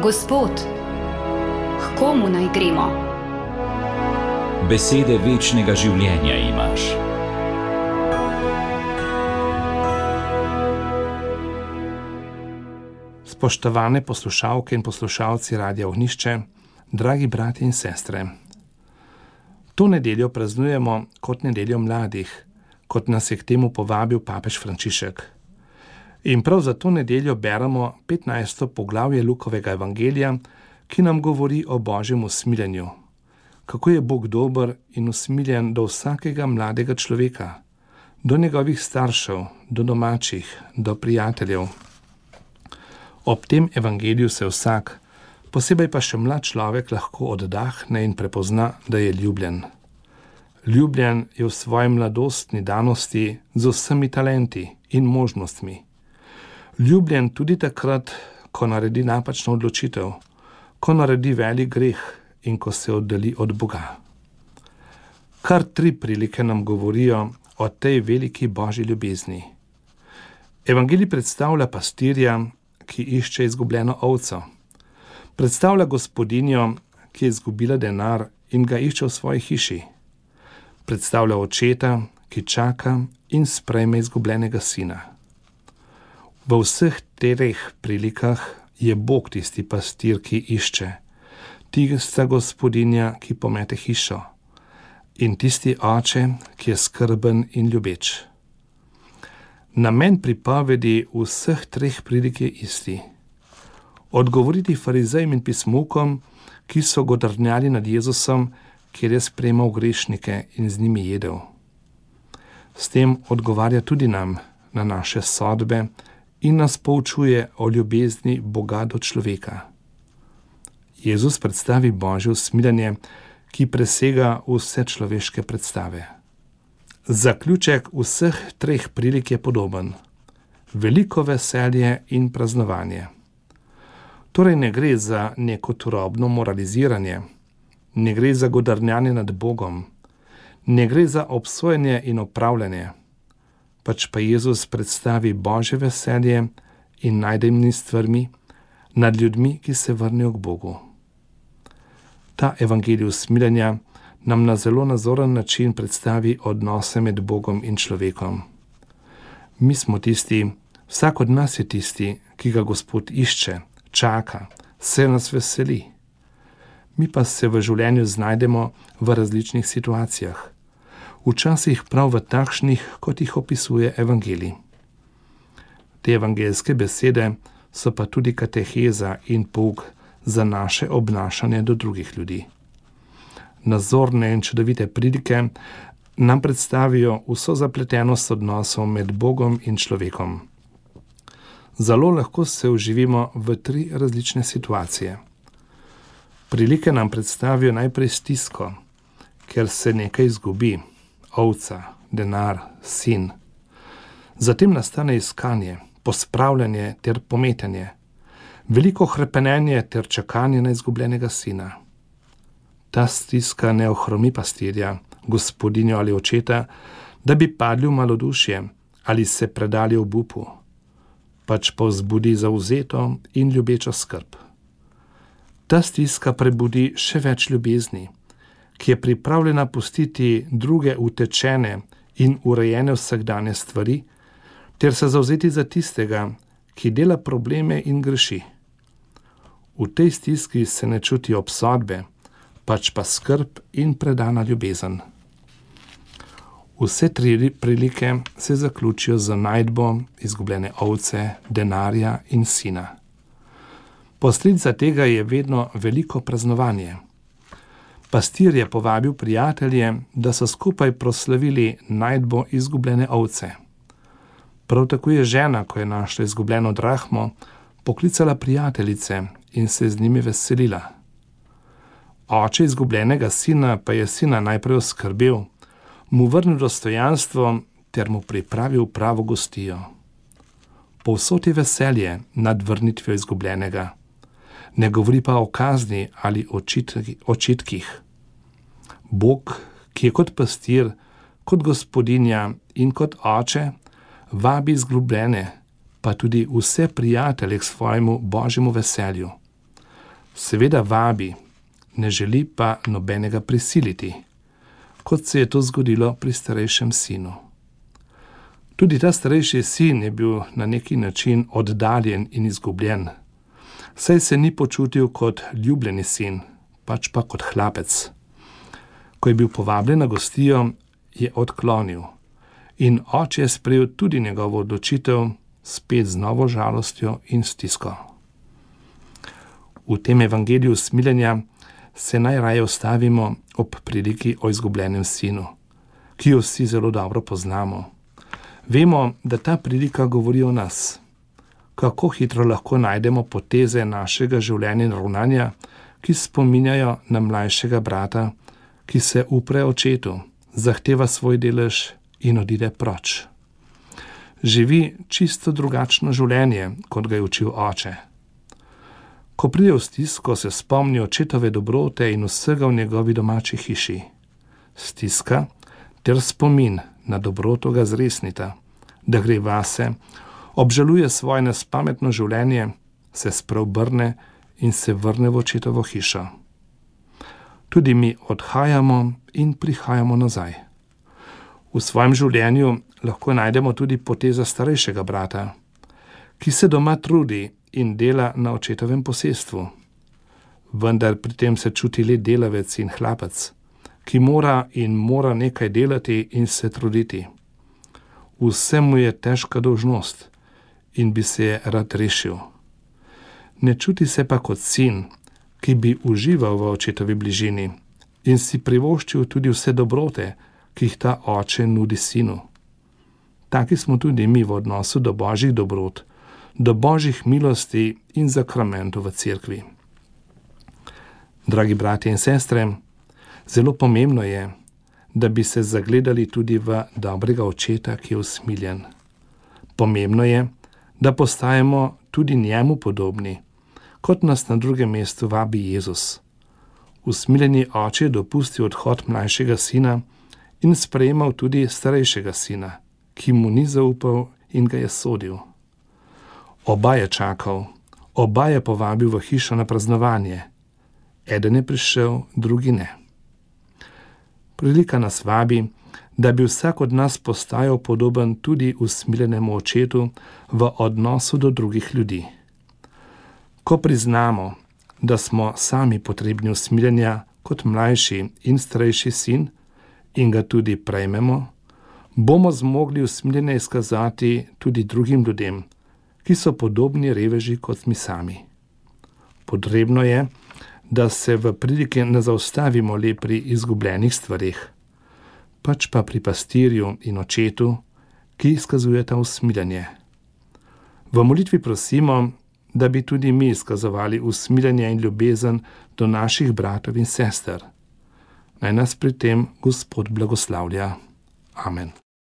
Gospod, k komu naj gremo? Besede večnega življenja imaš. Spoštovane poslušalke in poslušalci Radia Ognjišče, dragi bratje in sestre. To nedeljo praznujemo kot nedeljo mladih, kot nas je k temu povabil papež Frančišek. In prav za to nedeljo beremo 15. poglavje Lukovega evangelija, ki nam govori o Božjem usmiljenju. Kako je Bog dober in usmiljen do vsakega mladega človeka, do njegovih staršev, do domačih, do prijateljev. Ob tem evangeliju se vsak, posebej pa še mlad človek, lahko oddahne in prepozna, da je ljubljen. Ljubljen je v svoji mladostni danosti z vsemi talenti in možnostmi. Ljubljen tudi takrat, ko naredi napačno odločitev, ko naredi velik greh in ko se oddalji od Boga. Kar 3 prilike nam govorijo o tej veliki Božji ljubezni. Evangelij predstavlja pastirja, ki išče izgubljeno ovco. Predstavlja gospodinjo, ki je izgubila denar in ga išče v svoji hiši. Predstavlja očeta, ki čaka in sprejme izgubljenega sina. V vseh 3 prilikah je Bog tisti pastir, ki išče, tista gospodinja, ki pomete hišo, in tisti oče, ki je skrben in ljubeč. Namen pripovedi vseh 3 prilik je isti. Odgovoriti farizejem in pismukom, ki so godrnjali nad Jezusom, kjer je sprejemal grešnike in z njimi jedel. S tem odgovarja tudi nam na naše sodbe in nas poučuje o ljubezni Boga do človeka. Jezus predstavi Božje usmiljenje, ki presega vse človeške predstave. Zaključek vseh 3 prilik je podoben. Veliko veselje in praznovanje. Torej ne gre za neko turobno moraliziranje, ne gre za godrnjanje nad Bogom, ne gre za obsojenje in opravljanje, pač pa Jezus predstavi Božje veselje in najdemni stvarmi nad ljudmi, ki se vrnejo k Bogu. Ta evangelij usmiljenja nam na zelo nazoren način predstavi odnose med Bogom in človekom. Mi smo tisti, vsak od nas je tisti, ki ga Gospod išče, čaka, se nas veseli. Mi pa se v življenju znajdemo v različnih situacijah, včasih prav v takšnih, kot jih opisuje evangelij. Te evangeljske besede so pa tudi kateheza in pouk za naše obnašanje do drugih ljudi. Nazorne in čudovite prilike nam predstavijo vso zapletenost odnosov med Bogom in človekom. Zelo lahko se vživimo v 3 različne situacije. Prilike nam predstavijo najprej stisko, ker se nekaj izgubi, ovca, denar, sin. Zatem nastane iskanje, pospravljanje ter pometanje, veliko hrepenenje ter čakanje na izgubljenega sina. Ta stiska ne ohromi pastirja, gospodinjo ali očeta, da bi padli v malodušje ali se predali obupu, pač pa vzbudi zavzeto in ljubečo skrb. Ta stiska prebudi še več ljubezni, ki je pripravljena pustiti druge utečene in urejene vsakdanje stvari, ter se zavzeti za tistega, ki dela probleme in greši. V tej stiski se ne čuti obsodbe, pač pa skrb in predana ljubezen. Vse 3 prilike se zaključijo z najdbo izgubljene ovce, denarja in sina. Posledica tega je vedno veliko praznovanje. Pastir je povabil prijatelje, da so skupaj proslavili najdbo izgubljene ovce. Prav tako je žena, ko je našla izgubljeno drahmo, poklicala prijateljice in se z njimi veselila. Oče izgubljenega sina pa je sina najprej oskrbel, mu vrnil dostojanstvo ter mu pripravil pravo gostijo. Povsod je veselje nad vrnitvijo izgubljenega. Ne govori pa o kazni ali očitkih. Bog, ki je kot pastir, kot gospodinja in kot oče, vabi izgubljene, pa tudi vse prijatelje k svojemu božjemu veselju. Seveda vabi, ne želi pa nobenega prisiliti, kot se je to zgodilo pri starejšem sinu. Tudi ta starejši sin je bil na neki način oddaljen in izgubljen, saj se ni počutil kot ljubljeni sin, pač pa kot hlapec. Ko je bil povabljen na gostijo, je odklonil in oče je sprejel tudi njegovo odločitev, spet z novo žalostjo in stisko. V tem evangeliju smiljenja se najraje ustavimo ob priliki o izgubljenem sinu, ki jo vsi zelo dobro poznamo. Vemo, da ta prilika govori o nas. Kako hitro lahko najdemo poteze našega življenja in ravnanja, ki spominjajo na mlajšega brata, ki se upre očetu, zahteva svoj delež in odide proč. Živi čisto drugačno življenje, kot ga je učil oče. Ko pride v stisko, se spomni očetove dobrote in vsega v njegovi domači hiši. Stiska ter spomin na dobroto ga zresnita, da gre vase, obžaluje svoje nespametno življenje, se spreobrne in se vrne v očetovo hišo. Tudi mi odhajamo in prihajamo nazaj. V svojem življenju lahko najdemo tudi poteza starejšega brata, ki se doma trudi in dela na očetovem posestvu. Vendar pri tem se čuti le delavec in hlapec, ki mora nekaj delati in se truditi. Vse mu je težka dolžnost in bi se je rad rešil. Ne čuti se pa kot sin, ki bi užival v očetovi bližini in si privoščil tudi vse dobrote, ki jih ta oče nudi sinu. Taki smo tudi mi v odnosu do božjih dobrot, do božjih milosti in zakramentov v cerkvi. Dragi bratje in sestre, zelo pomembno je, da bi se zagledali tudi v dobrega očeta, ki je usmiljen. Pomembno je, da postajamo tudi njemu podobni, kot nas na drugem mestu vabi Jezus. Usmiljeni oče je dopustil odhod mlajšega sina in sprejemal tudi starejšega sina, ki mu ni zaupal in ga je sodil. Oba je čakal, oba je povabil v hišo na praznovanje. Eden je prišel, drugi ne. Prilika nas vabi, da bi vsak od nas postajal podoben tudi usmiljenemu očetu v odnosu do drugih ljudi. Ko priznamo, da smo sami potrebni usmiljenja kot mlajši in starejši sin in ga tudi prejmemo, bomo zmogli usmiljenje izkazati tudi drugim ljudem, ki so podobni reveži kot mi sami. Potrebno je, da se v prilike ne zaustavimo le pri izgubljenih stvareh, pač pa pri pastirju in očetu, ki izkazujeta usmiljenje. V molitvi prosimo, da bi tudi mi izkazovali usmiljenje in ljubezen do naših bratov in sester. Naj nas pri tem Gospod blagoslavlja. Amen.